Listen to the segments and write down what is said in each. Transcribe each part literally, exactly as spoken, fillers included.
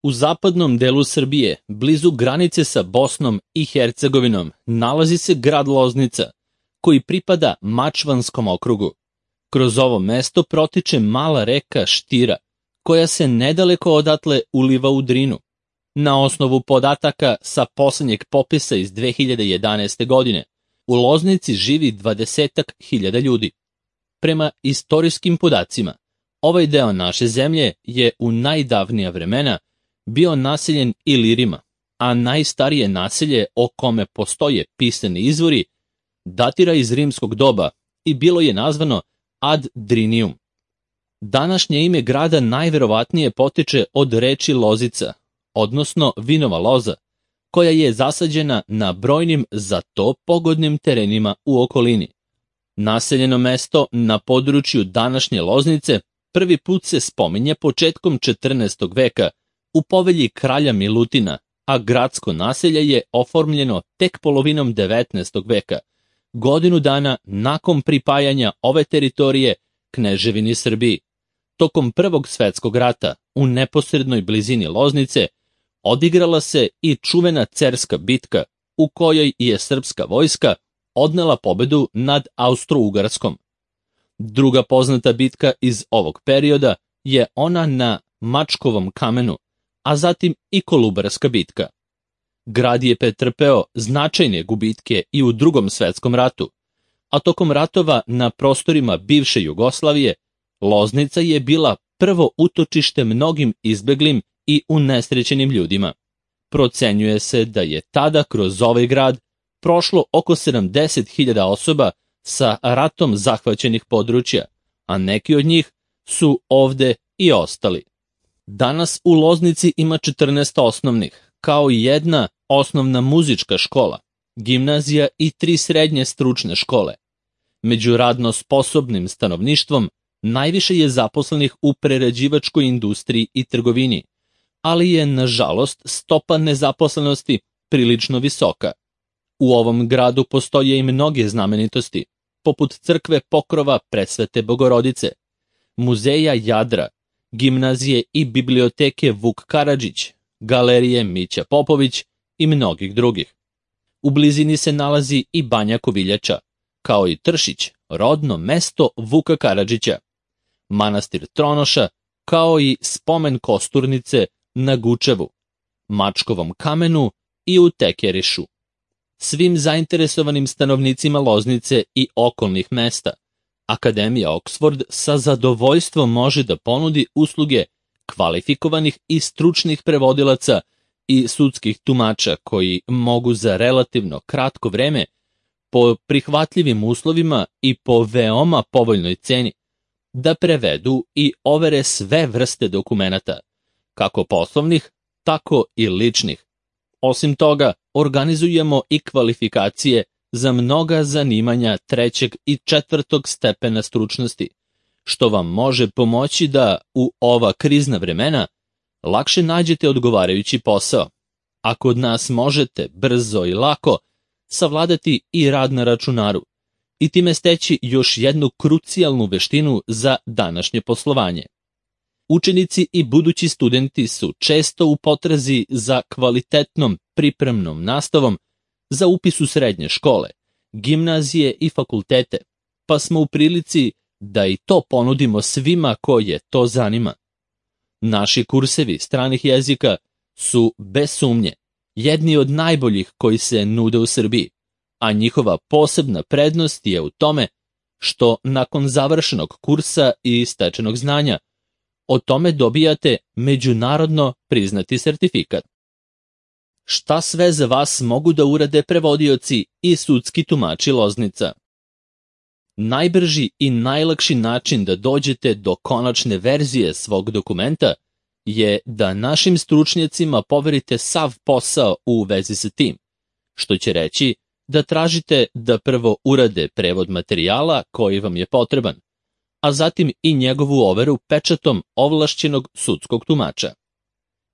U zapadnom delu Srbije, blizu granice sa Bosnom i Hercegovinom, nalazi se grad Loznica, koji pripada Mačvanskom okrugu. Kroz ovo mesto protiče mala reka Štira, koja se nedaleko odatle uliva u Drinu. Na osnovu podataka sa poslednjeg popisa iz dve hiljade jedanaeste. godine, u Loznici živi dvadesetak hiljada ljudi. Prema istorijskim podacima, ovaj deo naše zemlje je u najdavnija vremena bio naseljen Ilirima, a najstarije naselje o kome postoje pisani izvori datira iz rimskog doba i bilo je nazvano Ad Drinium. Današnje ime grada najverovatnije potiče od reči lozica, odnosno vinova loza, koja je zasađena na brojnim za to pogodnim terenima u okolini. Naseljeno mesto na području današnje Loznice prvi put se spominje početkom četrnaestog. veka u povelji kralja Milutina, a gradsko naselje je oformljeno tek polovinom devetnaestog. veka, godinu dana nakon pripajanja ove teritorije Kneževini Srbiji. Tokom Prvog svetskog rata u neposrednoj blizini Loznice odigrala se i čuvena Cerska bitka, u kojoj je srpska vojska odnela pobedu nad Austro-Ugarskom. Druga poznata bitka iz ovog perioda je ona na Mačkovom kamenu, a zatim i Kolubarska bitka. Grad je pretrpeo značajne gubitke i u Drugom svetskom ratu, a tokom ratova na prostorima bivše Jugoslavije, Loznica je bila prvo utočište mnogim izbeglim i unesrećenim ljudima. Procenjuje se da je tada kroz ovaj grad prošlo oko sedamdeset hiljada osoba sa ratom zahvaćenih područja, a neki od njih su ovde i ostali. Danas u Loznici ima četrnaest osnovnih, kao i jedna osnovna muzička škola, gimnazija i tri srednje stručne škole. Među radno sposobnim stanovništvom najviše je zaposlenih u prerađivačkoj industriji i trgovini, ali je, nažalost, stopa nezaposlenosti prilično visoka. U ovom gradu postoje i mnoge znamenitosti, poput crkve Pokrova Presvete Bogorodice, muzeja Jadra, gimnazije i biblioteke Vuk Karadžić, galerije Mića Popović i mnogih drugih. U blizini se nalazi i Banja Koviljača, kao i Tršić, rodno mesto Vuka Karadžića, manastir Tronoša, kao i spomen kosturnice na Gučevu, Mačkovom kamenu i u Tekerišu. Svim zainteresovanim stanovnicima Loznice i okolnih mesta Akademija Oksford sa zadovoljstvom može da ponudi usluge kvalifikovanih i stručnih prevodilaca i sudskih tumača koji mogu za relativno kratko vreme, po prihvatljivim uslovima i po veoma povoljnoj ceni, da prevedu i overe sve vrste dokumenata, kako poslovnih, tako i ličnih. Osim toga, organizujemo i kvalifikacije za mnoga zanimanja trećeg i četvrtog stepena stručnosti, što vam može pomoći da u ova krizna vremena lakše nađete odgovarajući posao, a kod nas možete brzo i lako savladati i rad na računaru i time steći još jednu krucijalnu veštinu za današnje poslovanje. Učenici i budući studenti su često u potrazi za kvalitetnom pripremnom nastavom za upis u srednje škole, gimnazije i fakultete, pa smo u prilici da i to ponudimo svima koje to zanima. Naši kursevi stranih jezika su, bez sumnje, jedni od najboljih koji se nude u Srbiji, a njihova posebna prednost je u tome što nakon završenog kursa i stečenog znanja o tome dobijate međunarodno priznati sertifikat. Šta sve za vas mogu da urade prevodioci i sudski tumači Loznica? Najbrži i najlakši način da dođete do konačne verzije svog dokumenta je da našim stručnjacima poverite sav posao u vezi sa tim, što će reći da tražite da prvo urade prevod materijala koji vam je potreban, a zatim i njegovu overu pečatom ovlašćenog sudskog tumača.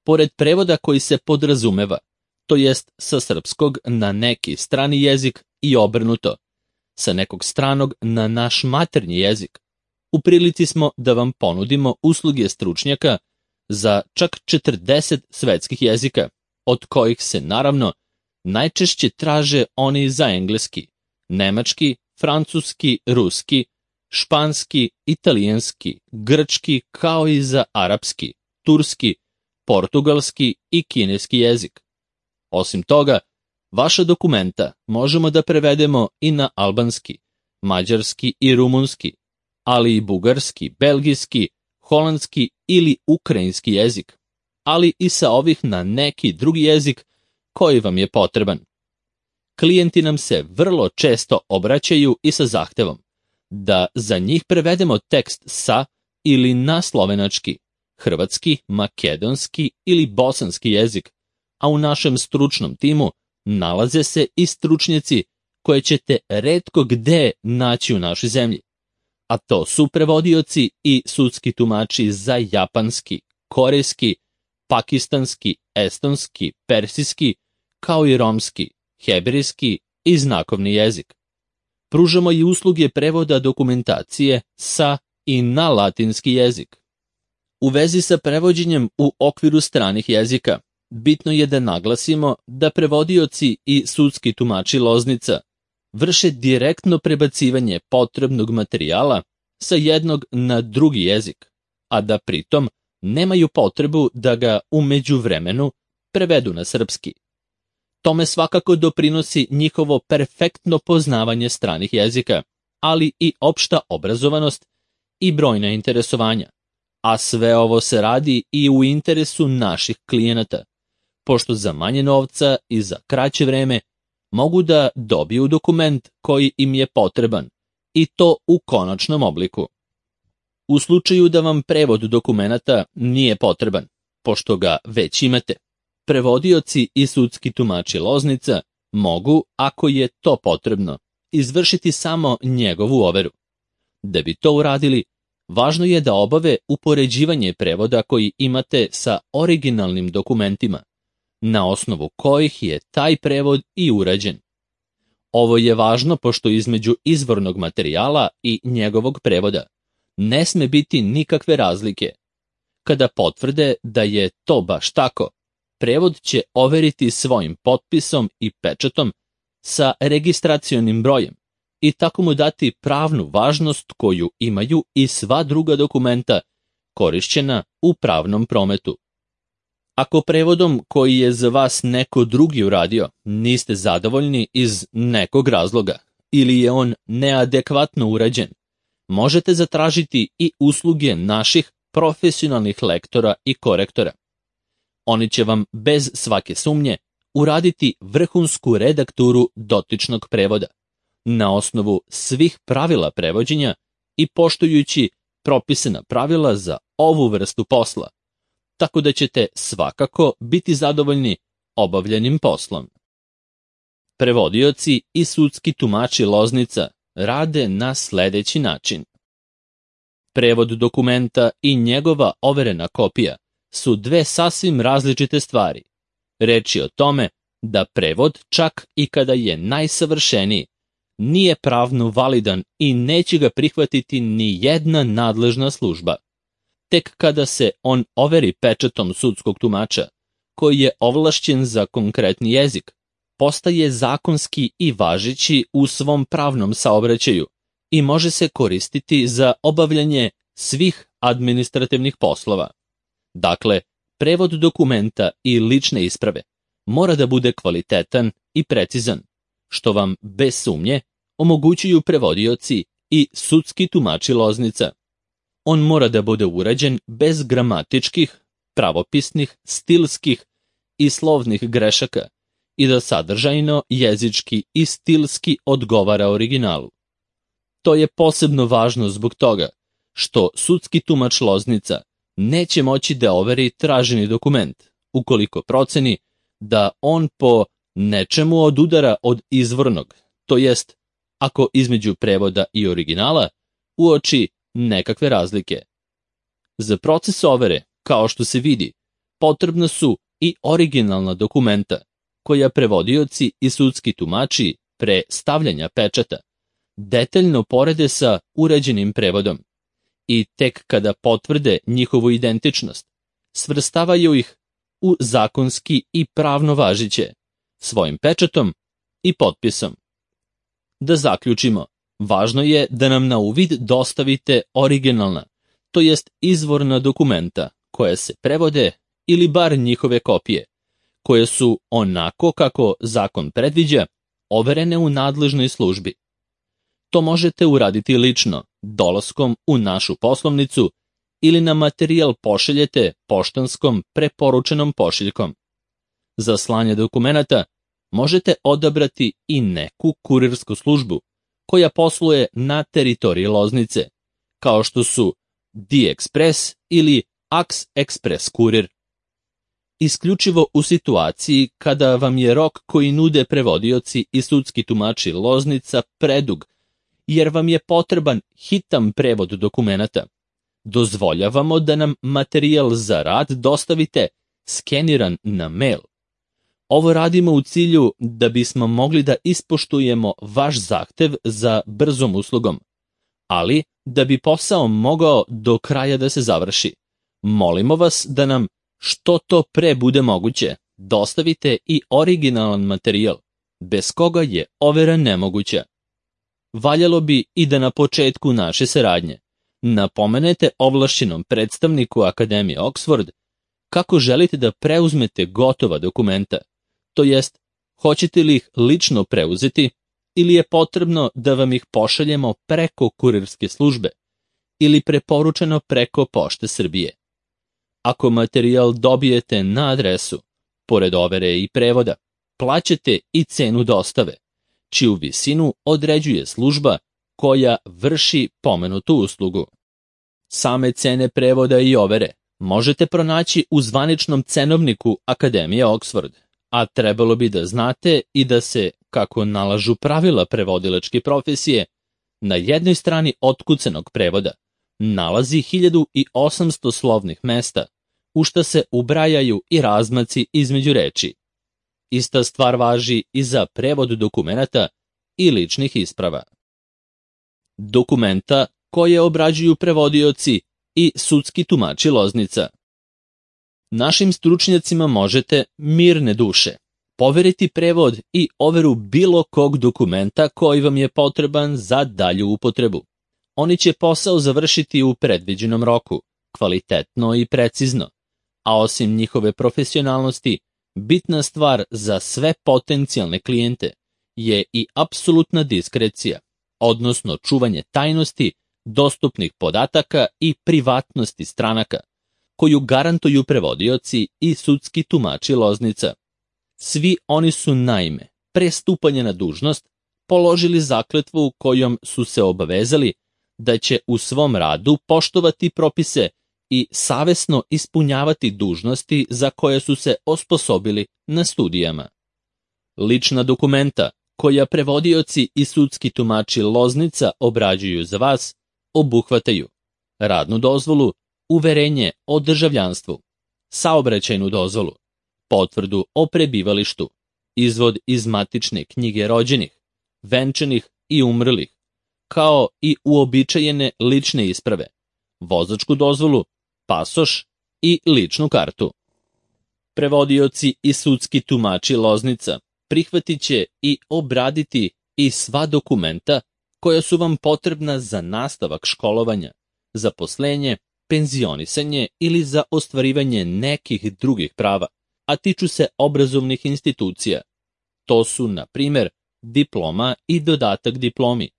Pored prevoda koji se podrazumeva, to jest sa srpskog na neki strani jezik i obrnuto, sa nekog stranog na naš maternji jezik, u prilici smo da vam ponudimo usluge stručnjaka za čak četrdeset svetskih jezika, od kojih se naravno najčešće traže oni za engleski, nemački, francuski, ruski, španski, italijanski, grčki, kao i za arapski, turski, portugalski i kineski jezik. Osim toga, vaša dokumenta možemo da prevedemo i na albanski, mađarski i rumunski, ali i bugarski, belgijski, holandski ili ukrajinski jezik, ali i sa ovih na neki drugi jezik koji vam je potreban. Klijenti nam se vrlo često obraćaju i sa zahtevom da za njih prevedemo tekst sa ili na slovenački, hrvatski, makedonski ili bosanski jezik, a u našem stručnom timu nalaze se i stručnjaci koje ćete retko gde naći u našoj zemlji, a to su prevodioci i sudski tumači za japanski, korejski, pakistanski, estonski, persijski, kao i romski, hebrejski i znakovni jezik. Pružamo i usluge prevoda dokumentacije sa i na latinski jezik. U vezi sa prevođenjem u okviru stranih jezika, bitno je da naglasimo da prevodioci i sudski tumači Loznica vrše direktno prebacivanje potrebnog materijala sa jednog na drugi jezik, a da pritom nemaju potrebu da ga u međuvremenu prevedu na srpski. Tome svakako doprinosi njihovo perfektno poznavanje stranih jezika, ali i opšta obrazovanost i brojna interesovanja. A sve ovo se radi i u interesu naših klijenata, pošto za manje novca i za kraće vreme mogu da dobiju dokument koji im je potreban, i to u konačnom obliku. U slučaju da vam prevod dokumenata nije potreban, pošto ga već imate, prevodioci i sudski tumači Loznica mogu, ako je to potrebno, izvršiti samo njegovu overu. Da bi to uradili, važno je da obave upoređivanje prevoda koji imate sa originalnim dokumentima, na osnovu kojih je taj prevod i urađen. Ovo je važno pošto između izvornog materijala i njegovog prevoda ne sme biti nikakve razlike. Kada potvrde da je to baš tako, prevod će overiti svojim potpisom i pečatom sa registracionim brojem i tako mu dati pravnu važnost koju imaju i sva druga dokumenta korišćena u pravnom prometu. Ako prevodom koji je za vas neko drugi uradio niste zadovoljni iz nekog razloga ili je on neadekvatno urađen, možete zatražiti i usluge naših profesionalnih lektora i korektora. Oni će vam bez svake sumnje uraditi vrhunsku redakturu dotičnog prevoda, na osnovu svih pravila prevođenja i poštujući propisana pravila za ovu vrstu posla, tako da ćete svakako biti zadovoljni obavljenim poslom. Prevodioci i sudski tumači Loznica rade na sledeći način. Prevod dokumenta i njegova overena kopija su dve sasvim različite stvari. Reč je o tome da prevod, čak i kada je najsavršeniji, nije pravno validan i neće ga prihvatiti ni jedna nadležna služba. Tek kada se on overi pečatom sudskog tumača, koji je ovlašćen za konkretni jezik, postaje zakonski i važeći u svom pravnom saobraćaju i može se koristiti za obavljanje svih administrativnih poslova. Dakle, prevod dokumenta i lične isprave mora da bude kvalitetan i precizan, što vam bez sumnje omogućuju prevodioci i sudski tumači Loznica. On mora da bude urađen bez gramatičkih, pravopisnih, stilskih i slovnih grešaka i da sadržajno, jezički i stilski odgovara originalu. To je posebno važno zbog toga što sudski tumač Loznica neće moći da overi traženi dokument, ukoliko proceni da on po nečemu odudara od izvornog, to jest ako između prevoda i originala uoči nekakve razlike. Za proces overe, kao što se vidi, potrebna su i originalna dokumenta, koja prevodioci i sudski tumači pre stavljanja pečata detaljno porede sa uređenim prevodom i tek kada potvrde njihovu identičnost, svrstavaju ih u zakonski i pravno važiće, svojim pečatom i potpisom. Da zaključimo, važno je da nam na uvid dostavite originalna, to jest izvorna dokumenta, koja se prevode ili bar njihove kopije, koje su, onako kako zakon predviđa, overene u nadležnoj službi. To možete uraditi lično, dolaskom u našu poslovnicu ili na materijal pošaljete poštanskom preporučenom pošiljkom. Za slanje dokumenata možete odabrati i neku kurirsku službu koja posluje na teritoriji Loznice, kao što su D-Express ili Aks Express kurir. Isključivo u situaciji kada vam je rok koji nude prevodioci i sudski tumači Loznica predug, jer vam je potreban hitan prevod dokumenata, dozvoljavamo da nam materijal za rad dostavite skeniran na mail. Ovo radimo u cilju da bismo mogli da ispoštujemo vaš zahtev za brzom uslugom, ali da bi posao mogao do kraja da se završi. Molimo vas da nam, što to pre bude moguće, dostavite i originalan materijal, bez koga je overa nemoguća. Valjalo bi i da na početku naše saradnje napomenete ovlašćenom predstavniku Akademije Oxford kako želite da preuzmete gotova dokumenta, to jest, hoćete li ih lično preuzeti ili je potrebno da vam ih pošaljemo preko kurirske službe ili preporučeno preko Pošte Srbije. Ako materijal dobijete na adresu, pored overe i prevoda, plaćate i cenu dostave, čiju visinu određuje služba koja vrši pomenutu uslugu. Same cene prevoda i overe možete pronaći u zvaničnom cenovniku Akademije Oxford, a trebalo bi da znate i da se, kako nalažu pravila prevodilačke profesije, na jednoj strani otkucanog prevoda nalazi hiljadu osamsto slovnih mesta, u šta se ubrajaju i razmaci između reči. Ista stvar važi i za prevod dokumenata i ličnih isprava. Dokumenta koje obrađuju prevodioci i sudski tumači Loznica. Našim stručnjacima možete, mirne duše, poveriti prevod i overu bilo kog dokumenta koji vam je potreban za dalju upotrebu. Oni će posao završiti u predviđenom roku, kvalitetno i precizno, a osim njihove profesionalnosti, bitna stvar za sve potencijalne klijente je i apsolutna diskrecija, odnosno čuvanje tajnosti, dostupnih podataka i privatnosti stranaka, koju garantuju prevodioci i sudski tumači Loznica. Svi oni su naime, pre stupanja na dužnost, položili zakletvu kojom su se obavezali da će u svom radu poštovati propise i savesno ispunjavati dužnosti za koje su se osposobili na studijama. Lična dokumenta koja prevodioci i sudski tumači Loznica obrađuju za vas obuhvataju radnu dozvolu, uverenje o državljanstvu, saobraćajnu dozvolu, potvrdu o prebivalištu, izvod iz matične knjige rođenih, venčanih i umrlih, kao i uobičajene lične isprave, vozačku dozvolu, pasoš i ličnu kartu. Prevodioci i sudski tumači Loznica prihvatit će i obraditi i sva dokumenta koja su vam potrebna za nastavak školovanja, zaposlenje, penzionisanje ili za ostvarivanje nekih drugih prava, a tiču se obrazovnih institucija. To su, na primjer, diploma i dodatak diplomi,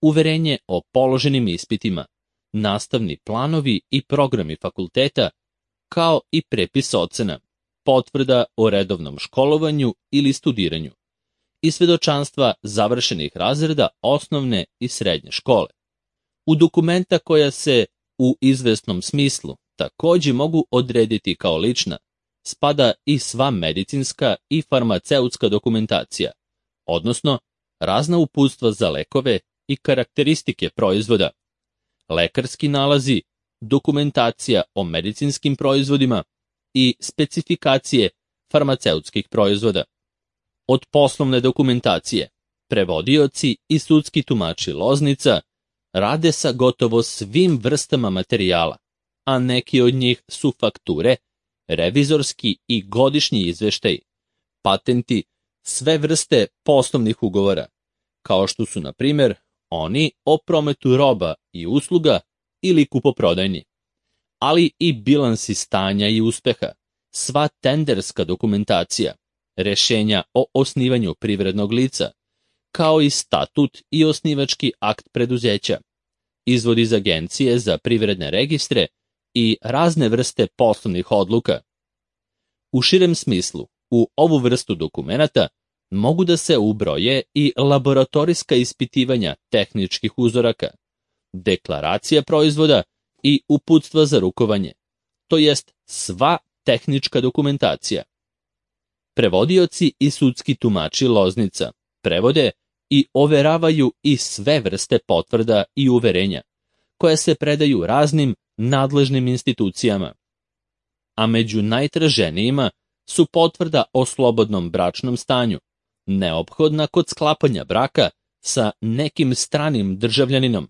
uverenje o položenim ispitima, nastavni planovi i programi fakulteta, kao i prepis ocena, potvrda o redovnom školovanju ili studiranju i svedočanstva završenih razreda osnovne i srednje škole. U dokumenta koja se u izvesnom smislu takođe mogu odrediti kao lična, spada i sva medicinska i farmaceutska dokumentacija, odnosno razna uputstva za lekove i karakteristike proizvoda, lekarski nalazi, dokumentacija o medicinskim proizvodima i specifikacije farmaceutskih proizvoda. Od poslovne dokumentacije, prevodioci i sudski tumači Loznica rade sa gotovo svim vrstama materijala, a neki od njih su fakture revizorski i godišnji izveštaj, patenti, sve vrste poslovnih ugovora, kao što su, na primjer, oni o prometu roba i usluga ili kupoprodajni, ali i bilansi stanja i uspeha, sva tenderska dokumentacija, rešenja o osnivanju privrednog lica, kao i statut i osnivački akt preduzeća, izvod iz agencije za privredne registre i razne vrste poslovnih odluka. U širem smislu, u ovu vrstu dokumenata mogu da se ubroje i laboratorijska ispitivanja tehničkih uzoraka, deklaracija proizvoda i uputstva za rukovanje, to jest sva tehnička dokumentacija. Prevodioci i sudski tumači Loznica prevode i overavaju i sve vrste potvrda i uverenja, koje se predaju raznim nadležnim institucijama. A među najtraženijima su potvrda o slobodnom bračnom stanju, neophodna kod sklapanja braka sa nekim stranim državljaninom,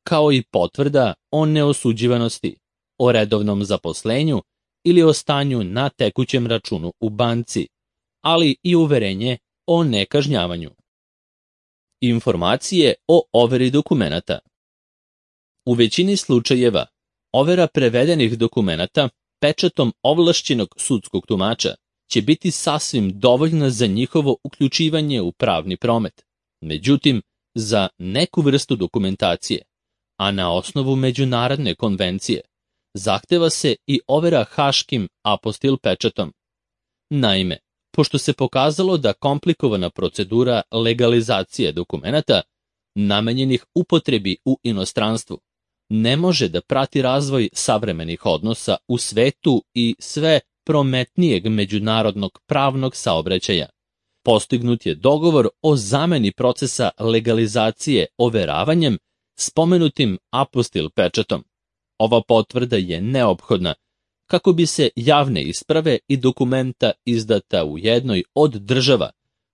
kao i potvrda o neosuđivanosti, o redovnom zaposlenju ili o stanju na tekućem računu u banci, ali i uverenje o nekažnjavanju. Informacije o overi dokumenata. U većini slučajeva, overa prevedenih dokumenata pečatom ovlašćenog sudskog tumača će biti sasvim dovoljna za njihovo uključivanje u pravni promet. Međutim, za neku vrstu dokumentacije, a na osnovu međunarodne konvencije, zahteva se i overa haškim apostil pečatom. Naime, pošto se pokazalo da komplikovana procedura legalizacije dokumenata, namenjenih upotrebi u inostranstvu, ne može da prati razvoj savremenih odnosa u svetu i sve prometnijeg međunarodnog pravnog saobraćaja, postignut je dogovor o zameni procesa legalizacije overavanjem spomenutim apostil pečatom. Ova potvrda je neophodna kako bi se javne isprave i dokumenta izdata u jednoj od država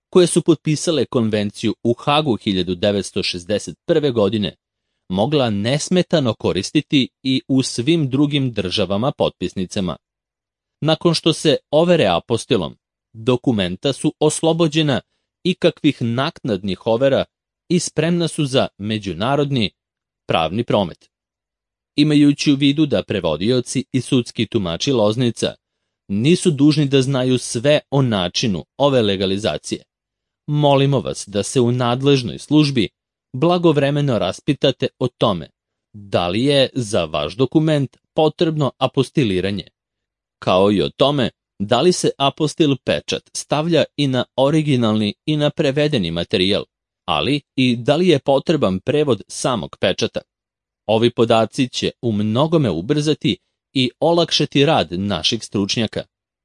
koje su potpisale konvenciju u Hagu hiljadu devetsto šezdeset prve. godine mogla nesmetano koristiti i u svim drugim državama potpisnicama. Nakon što se overe apostilom, dokumenta su oslobođena ikakvih naknadnih overa i spremna su za međunarodni pravni promet. Imajući u vidu da prevodioci i sudski tumači Loznica nisu dužni da znaju sve o načinu ove legalizacije, molimo vas da se u nadležnoj službi blagovremeno raspitate o tome da li je za vaš dokument potrebno apostiliranje, kao i o tome da li se apostil pečat stavlja i na originalni i na prevedeni materijal, ali i da li je potreban prevod samog pečata. Ovi podaci će u mnogome ubrzati i olakšati rad naših stručnjaka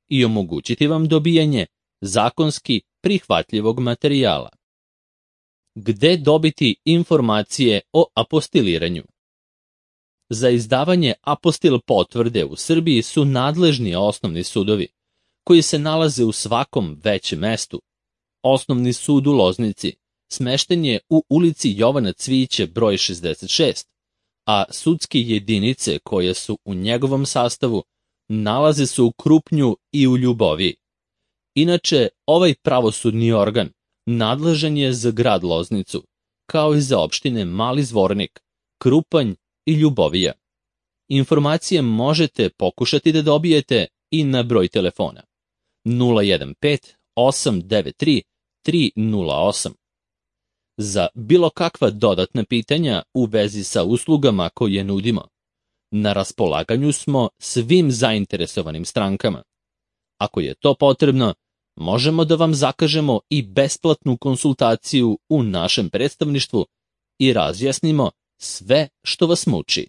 i omogućiti vam dobijanje zakonski prihvatljivog materijala. Gde dobiti informacije o apostiliranju? Za izdavanje apostil potvrde u Srbiji su nadležni osnovni sudovi, koji se nalaze u svakom većem mestu. Osnovni sud u Loznici smešten je u ulici Jovana Cvijića broj šezdeset šest, a sudske jedinice koje su u njegovom sastavu nalaze se u Krupnju i u Ljuboviji. Inače, ovaj pravosudni organ nadležan je za grad Loznicu, kao i za opštine Mali Zvornik, Krupanj i Ljubovija. Informacije možete pokušati da dobijete i na broj telefona nula jedan pet osam devet tri tri nula osam. Za bilo kakva dodatna pitanja u vezi sa uslugama koje nudimo, na raspolaganju smo svim zainteresovanim strankama. Ako je to potrebno, možemo da vam zakažemo i besplatnu konsultaciju u našem predstavništvu i razjasnimo sve što vas muči.